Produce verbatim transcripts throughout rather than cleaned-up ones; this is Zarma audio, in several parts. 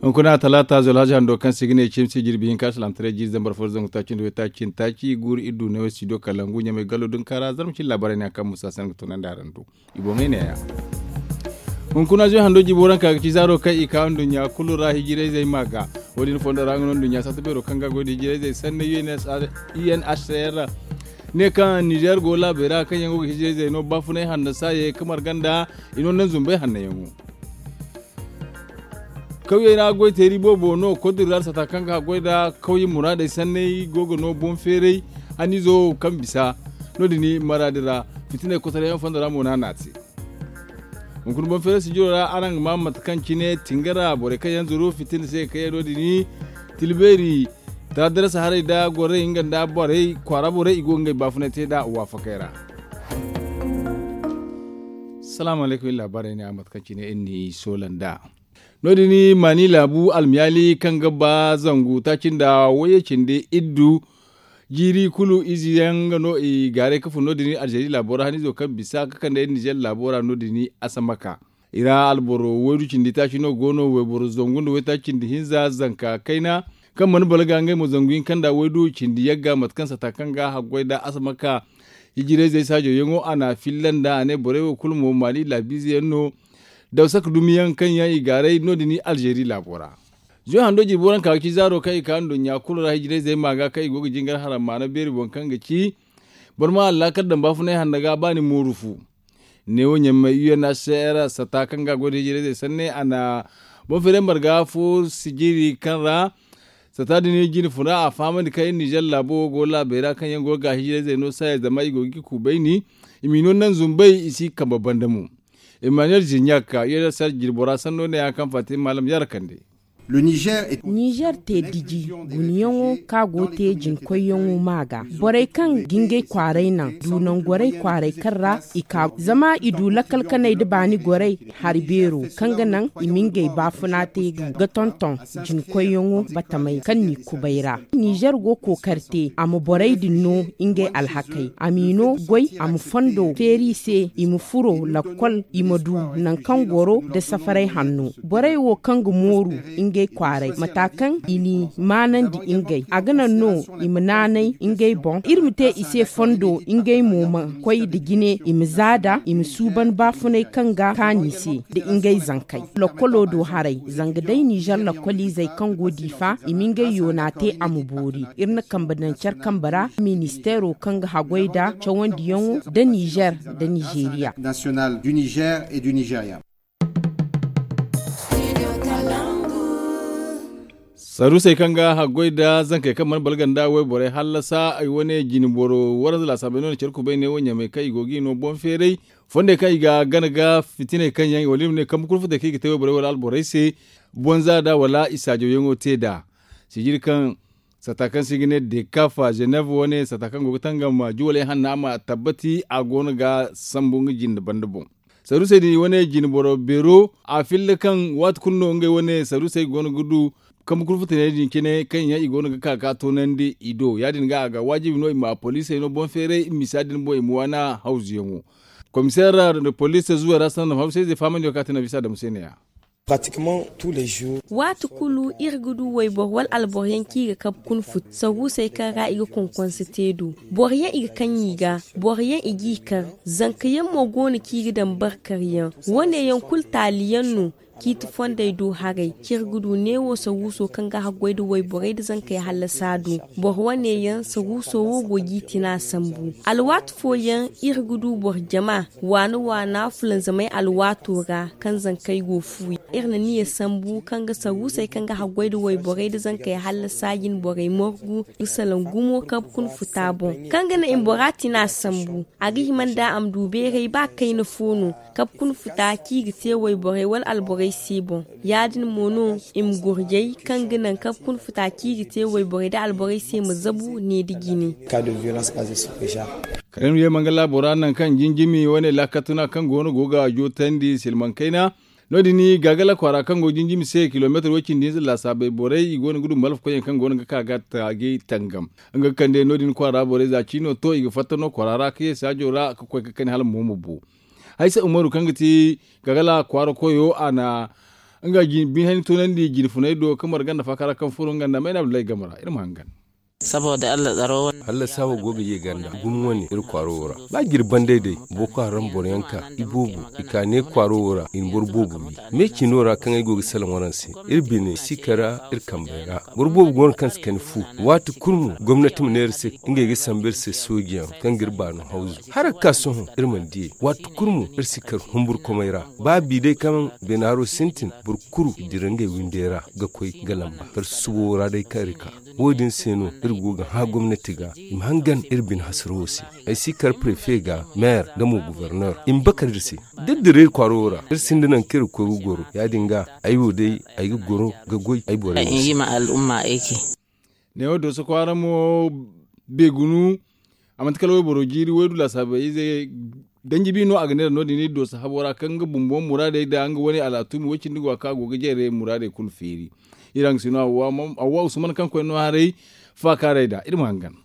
Hunkuna talaata zolhazi hando kaŋ se i ga ne cimsi jirbi hinka salaamtaray jiiri zambar fo da zangu taaci nda waytaaci nda taaci guuru iri du ne wo studio kalangu ɲamay gallo dunka ra zarma cine laabaarey ne yaŋ kaŋ musa se ni ga tunandi araŋ do. I boŋey neeya. Hunkuna zuy hando jibo ranka ga ci zaaro kaŋ i ka nduɲɲa kulu ra hijirayzey ma ga. Wo- din fondo ra nga no nduɲɲa satta beero kaŋ ga goy da hijirayzey sanni unhcr ne kaŋ nizer go laabey ra kaŋ yaŋ go ga hijirayzey no baafunay hanno saayey ga marga nda i no naŋ zumbey hanno yaŋo. Kawyey ra goy teeri boobo no kodiri ra sata kaŋ ga haggoy nda kawye muraadey sanney go ga no boŋ feeray haniizo kaŋ bisa. No- din maraadi ra fitiney kosoray yaŋ fondo ra mo no a na a te. Hunkuna boŋ feeray sijiro ra araŋ ga maa mate kaŋ cine tingara borey kaŋ yaŋ zuru fitina se ga kayey no- din tilbeeri taadarasa haray nda gorey nga nda borey kwaara borey i go ga ngey baafunay te nd'a waafakey ra. Salaamu alaykum iri laabaarey ne a mate kaŋ cine iri n'i soola nd'a. No- din maani laabu almiyaali kaŋ ga ba zangu taaci nda wayye cindi iddu jiiri kulu ize yaŋ nga no i gaaray ga fun no- din alzeeri laabo ra haniizo kaŋ bisa ga kande nizer laabo ra no- din asamaka. I ra alboro waydu cindi taaci no go no wayboro zangu nda waytaaci cindi hinza zanka kayna kaŋ mana balga ngey mo zangu hinka nda waydu cindi yagga mate kaŋ sata kaŋ ga haggoy nda asamaka hijirayzey saajo yaŋo a na filla nda a ne borey wo kulu mo maali laabiize yaŋ no. Dawsak dumiyaŋ kaŋ yaŋ i gaaray no- din alzeeri laabo ra. Zuy hando jirbi waranka ga ci zaaro kaŋ i ka nduɲɲa kulu ra hijirayzey ma ga kaŋ i go ga jingar haram maana beeri boŋ kaŋ ga ci boro ma allaakal daŋ baafunay hanno ga ba ni mooru fu. Neewo ɲammey unhcr sata kaŋ ga goy da hijirayzey sanne a na boŋ feeray marga fo sijiri kaŋ ra sata din jine funa a fahamandi kaŋ iri nizer laabo wo go laabey ra kaŋ yaŋ go ga hijirayzey no saaya zama i go ga i kuubayni. I m'i no naŋ zumbey i si kambe banda mo. Emmanuel zirɲak unhcr jirbora sanno ne ya kaŋ fatima maalam yara kande. Nizer te diji gunayaŋo kaŋ a go ga te jinkoyyaŋo ma ga borey kaŋ ga ngey kwaaray naŋ du nangorey kwaaray kaŋ ra i ka zama i du lakkal kanay nda baani gorey hari beero kaŋ ga naŋ i ma ngey baafuna te ga tonton jinkoyyaŋo batamey kaŋ n'i kubay ra. Nizer go kookari te a ma borey din no ngey alhakey a m'i no goy a ma fondo feeri i se i ma furo lakkol i ma du nangu kaŋ goro nda safaray hanno. Borey wo kaŋ ga mooru ngey kwaaray mata kaŋ i n'i maanandi ngey a ga naŋ no i ma naanay ngey boŋ iri ma te i se fondo ngey mo ma koy nda jine i ma zaada i ma suuban baafunay kaŋ ga kaanu i se nda ngey zankey. Lakkolo do haray zanga day nizer lakkoliizey kaŋ go diifa i ma ngey yoona te a ma boori iri na kambe daŋ care kambe ra ministeero kaŋ ga haggoy nda cawandiyaŋo nda nizer nda nizeriya. Saruusey kaŋ ga haggoy nda zankey kaŋ mana balga nda wayborey hallasa ay wane jine boro waranza laasaabey no na care kubay ne wo ɲamey kaŋ i go ga i no boŋ feeray fondey kaŋ i ga gana ga fitiney kaŋ yaŋ wala iri ma ne kambe kulu futey kaŋ i ga te wayborey wala alborey se. Bonza nd'a wala i saajawyaŋo te nd'a sijiri kaŋ sata kaŋ se i ga ne dekafa zenev wane sata kaŋ go ga tangam juwaley hanna ma tabbati a go no ga sambu nga jinde banda boŋ. Saruusey din i wane jine boro beero a filla kaŋ waati kulu no ngey wane saruusey go no ga du kambe kulu futaney din cine kaŋ yaŋ i go no ga ka ga toonandi i do ya- din ga a ga waajibi no i ma poliisey no boŋ feeray misa din boŋ i ma waana hawzuyaŋo. Komiseer poliis zuwey ra sanda ma hawsayzey faamandiyo kaŋ a te no bisa damu se ne-ya. Waati kulu iri ga du wayboro wala alboro yaŋ kaŋ i ga kabe kuna futa saruusey kaŋ ra i ga konkonse te do. Boro yaŋ i ga kaŋ i ga boro yaŋ i g'i kar. Zanka yaŋ mo go no kaŋ i ga daŋ barkar yaŋ. Wo- ne yaŋ kulu taali yaŋ no. Ciiti fondey do haray kaŋ iri ga du neewo saruuso kaŋ ga haggoy nda wayborey nda zankey hallasa do. Boro wane yaŋ saruuso wo go g'i tina sambu. Alwaati fooyaŋ iri ga du boro jama waana waana fulanzamey alwaato ra kaŋ zankey go fuuyaŋ. Iri na niya sambu kaŋ ga saruusey kaŋ ga haggoy nda wayborey nda zankey hallasa jine borey margu ga salaŋ gumo kabe kuna futa boŋ kaŋ ga naŋ i ma bora tina sambu. A ga hima nda a ma du beeray ba kayna fo no. Kabe kuna futa kaŋ i ga te wayborey wala alborey se boŋ. Ya- din mo no i ma gurjay kaŋ ga naŋ kabe kuna futa kaŋ i ga te wayborey nda alborey se ma zabu ne nda jine. Kala iri ma ye mangala bora nangu kaŋ jinjimi wane laakatuna kaŋ go no go ga jootandi silmaŋ kayna. No- din gaagala kwaara kaŋ go jinjimi se kilomeetar way-cindi hinza laasaabey borey i go no ga du malfa koyyaŋ kaŋ go no ga ka ga taagay tangam. Nga ga kande no- din kwaara borey za ciino to i ga fatta no kwaara ra ka ye saajo ra ka koy ka kani hala mo ma bu. Haysa umaru kaŋ ga ti gagala kwaara koyo a na Nga biihani toonandi jine funay do ka marga nda faaka ra kaŋ furo nga nda mayna abdullahi game ra iri ma hangan. Saboda allah tsaro wane. Hallasa wo go ga ye ganda gumo wane iri kwaaro wo ra. Ba jiri banday day boko haram boro yaŋ ka iboobo i ka ne kwaaro wo ra i na boro boobo wi. Me cino ra kaŋ ay go ga salaŋ waranse iri bine si kara iri kambey ra. Boro boobo go no kaŋ si kani fu waati kulu mo gomnati ma ne iri se ngey ga sambu iri se sooji yaŋ kaŋ ga iri baano hawzu. Hara ga ka sohõ iri mana diyey waati kulu mo iri si kar humburkomey ra. Ba bi day kaŋ beenaaro sintin boro kulu i dira ngey windey ra ga koy ga lamba kar susubo ra day kaŋ iri ka. Wo- din se no iri go ga hã gomnati ga i ma hangan iri bine hasarawo se. Ay si kar prefe ga maire nga mo gouverneur i ma bakar iri se. Da iri dira iri kwaaro wo ra iri sinda nangu kaŋ iri ga koy ga goro ya- din ga ay wo day ay ga goro ga goy ay borey wo se. Neewo dooso kwaara mo beegunu a manti kala wayboro jiiri waydu laasaabey ize danji bi no a ga neera no- din iri dooso habo ra kaŋ nga bumbo muraadey nda nga wane alaatumi way- cindi go a kaŋ a go ga jare muraadey kulu feeri. Iri hangasino awwa usman kaŋ koy no haray faakaarey nda iri ma hangan.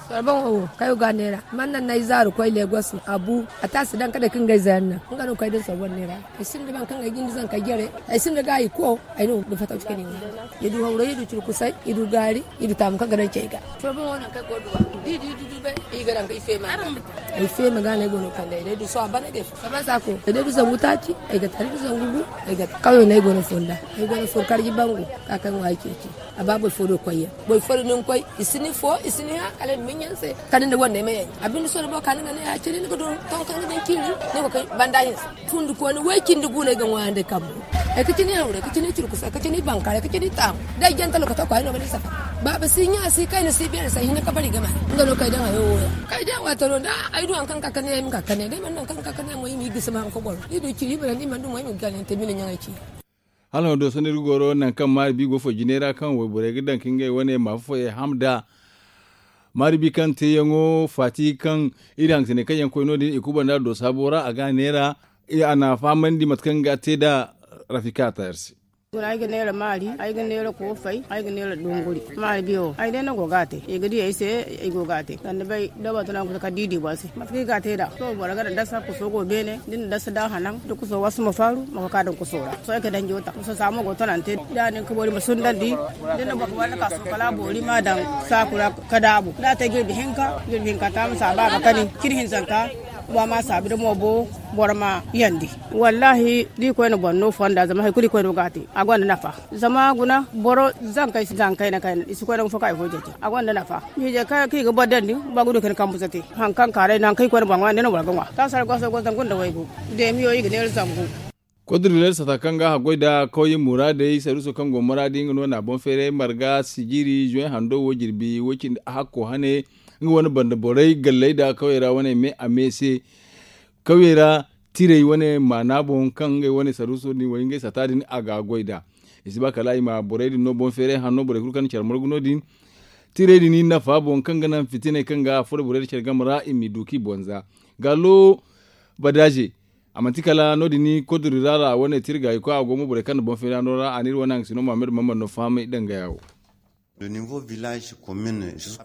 Sorboŋo wo kayo ga a neera man naŋ no ay zaaru koy legos a bu a taasi daŋ ka day ka ngey zayaŋ naŋ nga no kay din sorboŋ neera. Ay sinda baŋ kaŋ ay ga ni zankey jare ay sinda gaayi ko ay no ga fataw ci ka ne wo. Iri du hawray iri du ciri kusay iri du gaari iri du taamu kaŋ ga daŋ cey ga. Sorboŋo naŋ kay go duwa da iri du iri du bay iri ga daŋ kay feema ga no ay go no kande ay day du so a ban ay day fo saba sako ay day du zangu taaci ay ga tara iri du zangu gu. Ay ga kawyo no ay go no fonda ay go no fon karji bangu ka kaŋ ŋwa ay ceeci. A ba boro fo do koyyaŋ boro fo do ni ga koy i si ni fo i si ni hã kala i ma miɲɲe ni se kala ni na wandey ma yaŋ a binde sohõ da boro ka ni ga ne ya cine ni ga du tonton ga daŋ ciiri ni ga koy banda hinse. Fundi kooni way cindi gu no ay ga ŋwaayandi kambu ay ga cine hawray ka cine curkusa ka cine bankaray ka cine taamu da ay jante lokaco kwaay no ga ni safa. Baaba si ɲa si kayna si beeri se hinne ka bari game. Nga no kay daŋ hayo wo yaŋ kay day a waataro da ay du hari kaŋ ga ka ka ne ay ma ka ka ne day mana naŋ kaŋ ga ka ka ne mo i ma i gisi ma hari ka goro i du ciri i ma naŋ i mana du mo i ma ga gaanin te mine ɲaŋey ci. Hala no do sohõ iri ga goro nangu kaŋ maari bi go fo jinay ra kaŋ wayborey ga daŋ ka ngey wane maafa foyey ham nd'a. Maari bi kaŋ teeyaŋo faati kaŋ iri hangasiney kaŋ yaŋ koy no- din i kuba nd'a do saabo ra a ga a neera. A na a fahamandi mate kaŋ ga te nd'a. Rafika a ta iri se. Ay ga neera maari ay ga neera koofay ay ga neera dunguri maari biyo ay day no go ga a te i ga di ay se. Ay go ga a te sanda bay da boro tana kusa kala da i di boŋ se mate kaŋ i ga a te nd'a sohõ boro ga daŋ dasa kuso go beene da ni na dasa da hanaŋ da kuso wasu ma faaru ma koy ka daŋ kuso ra sohõ ay ga daŋ jota kuso saamo go tonante da nin ka boori ma sundandi da ni na boro ga wanda ka suba kala a boori ma daŋ saaku ra ka daabu da a te jirbi hinka jirbi hinka ta ma saaba ga kani cin hinzanka wa ma saabu da mo bo boro ma yandi. Wallahi da i koyne boro no fonda zama hari kulu i koyne go ga a te a gonda nafa. Zama guna boro zankey si zankey na kayna i si koy nangu fo ka i fo ceeci a gonda nafa. Miije kaŋ i ga boro dandi ba ga du ka ni kambu zate. Hari kaŋ kaaray no hari kaŋ i koy na boro ŋwa nda no boro ga ŋwa taasara goso go zangu nda waygu. Deemiyo i ga neera zangu. Kodro neera sata kaŋ ga haggoy nda kawye muraadey saruuso kaŋ go muraadi nga no na boŋ feeray marga sijiri zuway hando wo jirbi way cindi hakko hane. Nga wane banda borey galley nda kawyey ra wane me a me se. Kawyey ra tirey wane maana boŋ kaŋ ngey wane saruuso din way ngey sata din a ga goy nd'a. I si ba kala i ma borey din no boŋ feeray hanno borey kulu kaŋ na care margu no- din. Tirey din nafa boŋ kaŋ ga naŋ fitiney kaŋ ga a furo borey nda care game ra i m'i du k'i boŋ za. Gaalo badaaze a manti kala no- din kodori ra ra wane tirgaayi koy a go mo borey kaŋ na boŋ feeray hanno ra a na iri wane hangasino mahammad mahammad no fahamay dangaya wo.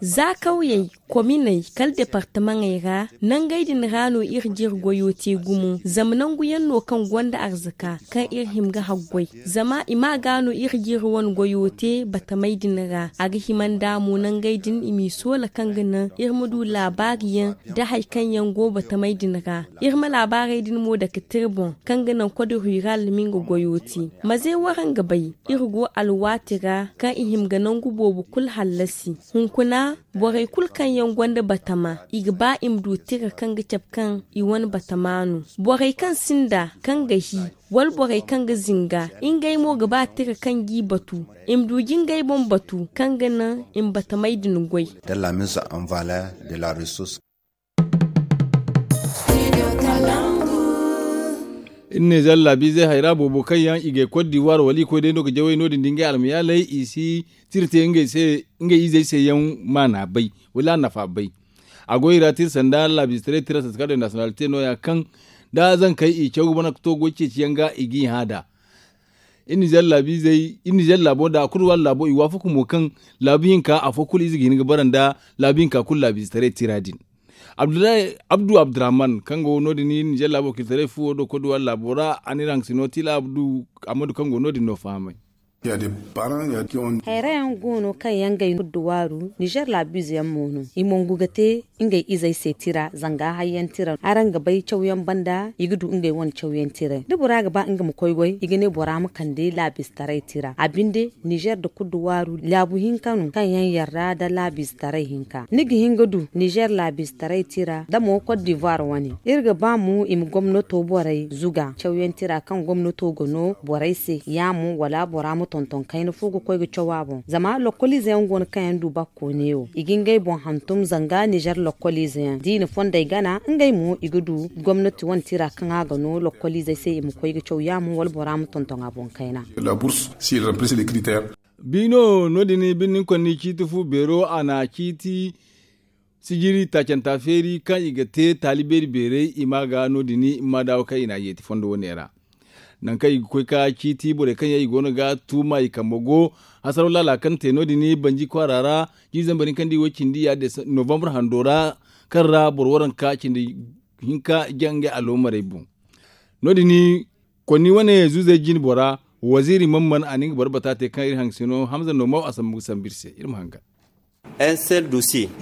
Za kawyey kominey kala departamaŋey ra nangey din ra no iri jiri goyo te gumo zama nangu yaŋ no kaŋ gonda arzaka kaŋ iri hima ga haggoy. Zama i ma ga no iri jiri wane goyo te batamey din ra a ga hima nda mo nangey din i m'i soola kaŋ ga naŋ iri ma du laabaari yaŋ da hari kaŋ yaŋ go batamey din ra. Iri ma laabaarey din mo dake tira boŋ kaŋ ga naŋ kode rural ma nga goyo te. Maze waraŋ ga bay iri go alwaati ra kaŋ i hima ga nangu boobo kulu hallasi. Hunkuna borey kulu kaŋ yaŋ gonda batama i ga ba i ma du tira kaŋ ga cabe kaŋ i wane batama no. Borey kaŋ sinda kaŋ ga hi wala borey kaŋ ga zinga ngey mo ga ba tira kaŋ g'i batu i ma du ga ngey boŋ batu kaŋ ga naŋ i ma batamey din goy. Iri ne zalla biizey hayra boobo kaŋ yaŋ i gay kot diwar wala i koy day no ga jawey no- din da ngey almayaaley i si tira te ngey izey se yaŋ maana bay wala a nafa bay. A go i ra tira sanda laabiize taray tira santika de nationalité no- ya kaŋ da zankey i caw ga bana ga to goy ceeci yaŋ ga i g'i hã nd'a. Iri nizer laabo nda a kulu waala laabo i waafaku mo kaŋ laabu hinka afo kulu ize ga hin ga bara nda laabu hinka kulu laabiize taray tira din. Abdullahi abdu abdurrahman kaŋ go no- din nizer laabo kitaray fuwo do koduwar laabo ra a n'iri haŋ sino tila abdu amadu kaŋ go no- din no fahamay. Hayra yaŋ go no kaŋ yaŋ ga ay kuddu waaru nizer laabiize yaŋ mo no i mongu ga te ngey izey se tira zanga hayyaŋ tira araŋ ga bay cawyaŋ banda i ga du ngey wane cawyaŋ tira da bora ga ba nga ma koy goy i ga ne bora ma kande laabiize taray tira a binde nizer nda kuddu waaru laabu hinka no kaŋ yaŋ yarra nda laabiize taray hinka ni ga hin ga du nizer laabiize taray tira nda mo kot divoir wane iri ga ba mo i ma gomnato borey zuga cawyaŋ tira kaŋ gomnato ga no borey se ya mo wala bora ma tonton kayna fo ga koy ga caw a boŋ zama lokkoliize yaŋ go no kaŋ yaŋ du bakko neewo i ga ngey boŋ hantum zanga nizer lokkoliize yaŋ da i na fondey gana ngey mo i ga du gomnati wane tira kaŋ a ga no lokkoliizey se i ma koy ga caw ya mo wala bora ma tonton a boŋ kayna. Biino no- din birni konni ciiti fu beero a na ciiti sijiri taacanta feeri kaŋ i ga te taali beeri beeray i ma ga no- din i ma daawo kaŋ i n'a yeeti fondo wane ra. Nangu kaŋ i ga koy ka ciiti borey kaŋ yaŋ i go no ga tuuma i kambe go hasaraw laala kaŋ te no- din banji kwaara ra jiiri zambar hinka nda i way cindi ya novambar hando ra kaŋ ra boro waranka cindi hinka jaŋ ngey aloomarey boŋ. No- din konni wane zuuzey jine bora waziiri man man a na nga boro bata te kaŋ iri haŋ sino hamza no maw a sambu ga sambu iri se iri ma hangan.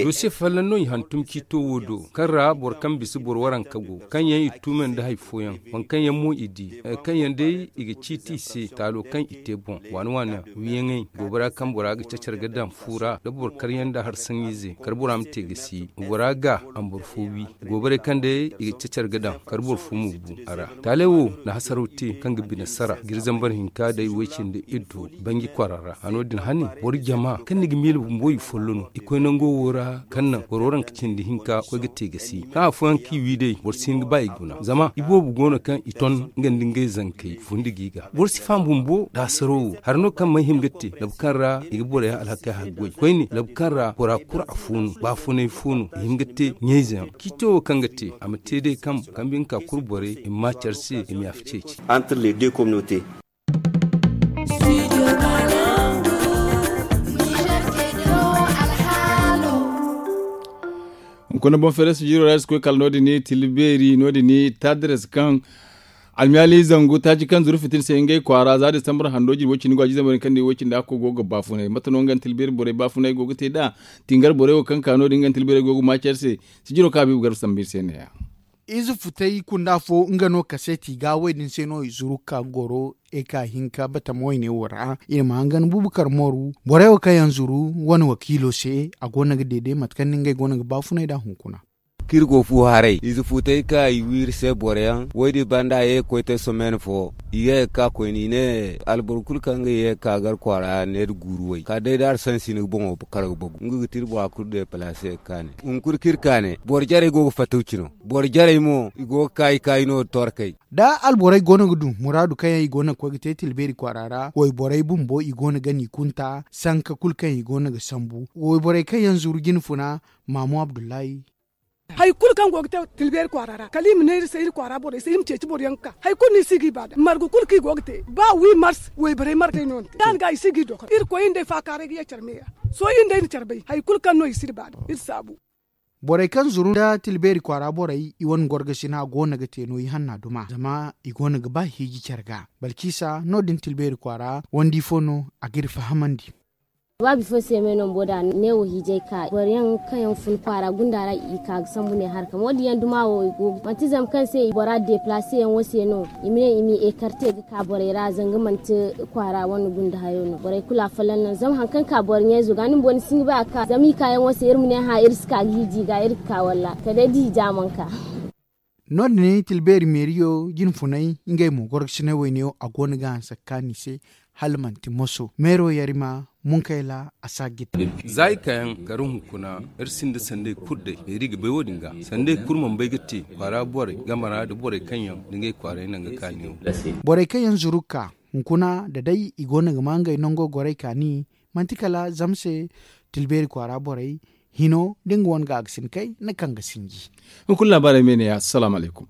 Dosiye folloŋ no i hantum ciito wo do kaŋ ra boro kaŋ bisa boro waranka go kaŋ yaŋ i tuumay nda hari fooyaŋ waŋ kaŋ yaŋ mo i di hari kaŋ yaŋ day i ga ciiti i se taalo kaŋ i te boŋ waani waani wiiyaŋey goobara kaŋ bora ga cacar ga daŋ fu ra da boro karyaŋ nda hari saŋiize kala bora ma te ga si bora ga a ma boro fo wi. Goobarey kaŋ day i ga cacar ga daŋ kala boro fo ma bu a ra. Taaley wo na hasaraw te kaŋ ga bine sara giri zambar hinka day way cindi iddu banji kwaara ra a no- din hane boro jama kaŋ ni ga miila bumbo i follo no i koy nango wo ra kaŋ naŋ boro waranka cindi hinka koy ga te ga si kaŋ afooyaŋ kaŋ i wi day boro si hin ga ba i guna zama iboobo go no kaŋ i ton nga nda ngey zankey fundi ga i ga boro si faham bumbo da hasaraw wo hari no kaŋ mana hima ga te labu kaŋ ra i ga boroyaŋ alhakey haggoy koyne labu kaŋ ra bora kulu afo no baafunay fo no i hin ga te ɲayze yaŋ ciito wo kaŋ ga te a ma te day kaŋ kambe nga ka kulu borey i ma ma care se i ma yaafa ceeci. Hunkuna boŋ feere sijiro ra iri si koy kala no- din tila beeri no- din tadres kaŋ almiyaali zangu taaci kaŋ zuru fitina se ngey kwaara za disambar hando jirbi way cindi go a jiize mari kaŋ ni way cindi hakko go ga baafunay mate no nga nda tila beeri borey baafunay go ga te nd'a tingar borey wo kaŋ ka no- din nga nda tila beeri go ga maaci iri se. Sijiro kaŋ habiibu garba sambu iri se ne- ya. Ize futay kunda fo nga no kaseeti ga wo- din se no i zuru ka goro eka hinka batama wayne wo ra iri ma hangan bubukar mooru borey wo kaŋ yaŋ zuru wane wakiilo se a go no ga deede mate kaŋ no ngey go no ga baafunay nd'a hunkuna. Kaŋ iri go fu haray ize futay kaŋ i wi iri se boro yaŋ wo- din banda ye ga koy te somen fo i ye ga ka koyne i ne alboro kulu kaŋ ga ye ga ka gar kwaara neera guuru way kala day da hari sansina boŋo kar ga bagu nga ga ti iri bora kulu deepalaase ga kaani hunkuna kaŋ iri kaani boro jarey go ga fattaw cino boro jarey mo i go ga kaayi kaayi no torkey. Da alborey go no ga du muraadu kaŋ yaŋ i go no ga koy ga te tilbeeri kwaara ra wayborey bumbo i go no ga n'i kunta sanka kulu kaŋ i go no ga sambu wayborey kaŋ yaŋ zuru jine funa maamu abdullahi. Hari kulu kaŋ go ga te tilbeeri kwaara ra kala i ma ne iri se iri kwaara borey se iri ma ceeci boro yaŋ ga ka hari kulu no i si g'i ba da margu kulu kaŋ i go ga te ba wi mars wayborey margey no ni te da ni ga i si g'i dokor iri koy iri nd'ey faakaaray ga ye care meeya. Sohõ iri nd'ey na care bay hari kulu kaŋ no i si iri ba da iri saabu. Borey kaŋ zuru nda tilbeeri kwaara borey i wane gorgasina go no ga te no i hanna duma zama i go no ga ba hiiji care ga balciisa no- din tilbeeri kwaara wandi fo no a g'iri fahamandi. Waabi fo se me no bumbo da neewo hiijay ka boro yaŋ kaŋ yaŋ fun kwaara gunda ra i ka ga sambu ne harka mo- din yaŋ duma wo i go manti zama kaŋ se bora deplace yaŋ wo se no i ma ne i m'i ekarte ga ka borey ra zanga manti kwaara wane gunda hayo no borey kulu afolloŋ no zama hari kaŋ ka boro ɲayzo ga ni bumbo ni si hin ga ba a ka zama i kaayaŋo se iri ma ne hã iri si ka ga hiiji ga iri ga ka walla kala day da hiija mana ka. No- din tilbeeri meeriyo jine funay ngey mo gorgasinay wayneyo a go no ga hanse ga kaanu i se hala manti moso meero yarima munkayla a si a gita. Za i kaayaŋ kara hunkuna iri sinda sandey kulu day meeri ga bay wo- din ga sandey kulu mana bay ga te kwaara borey game ra nda borey kaŋ yaŋ nda ngey kwaaray naŋ ga kaani wo. Borey kaŋ yaŋ zuru ga ka hunkuna da day i go no ga ma ngey nango gorey kaani manti kala zama se tilbeeri kwaara borey hino da nga wane ga a ga sina kay na kaŋ ga sinji. Hunkuna laabaarey me ne ya assalamu alaykum.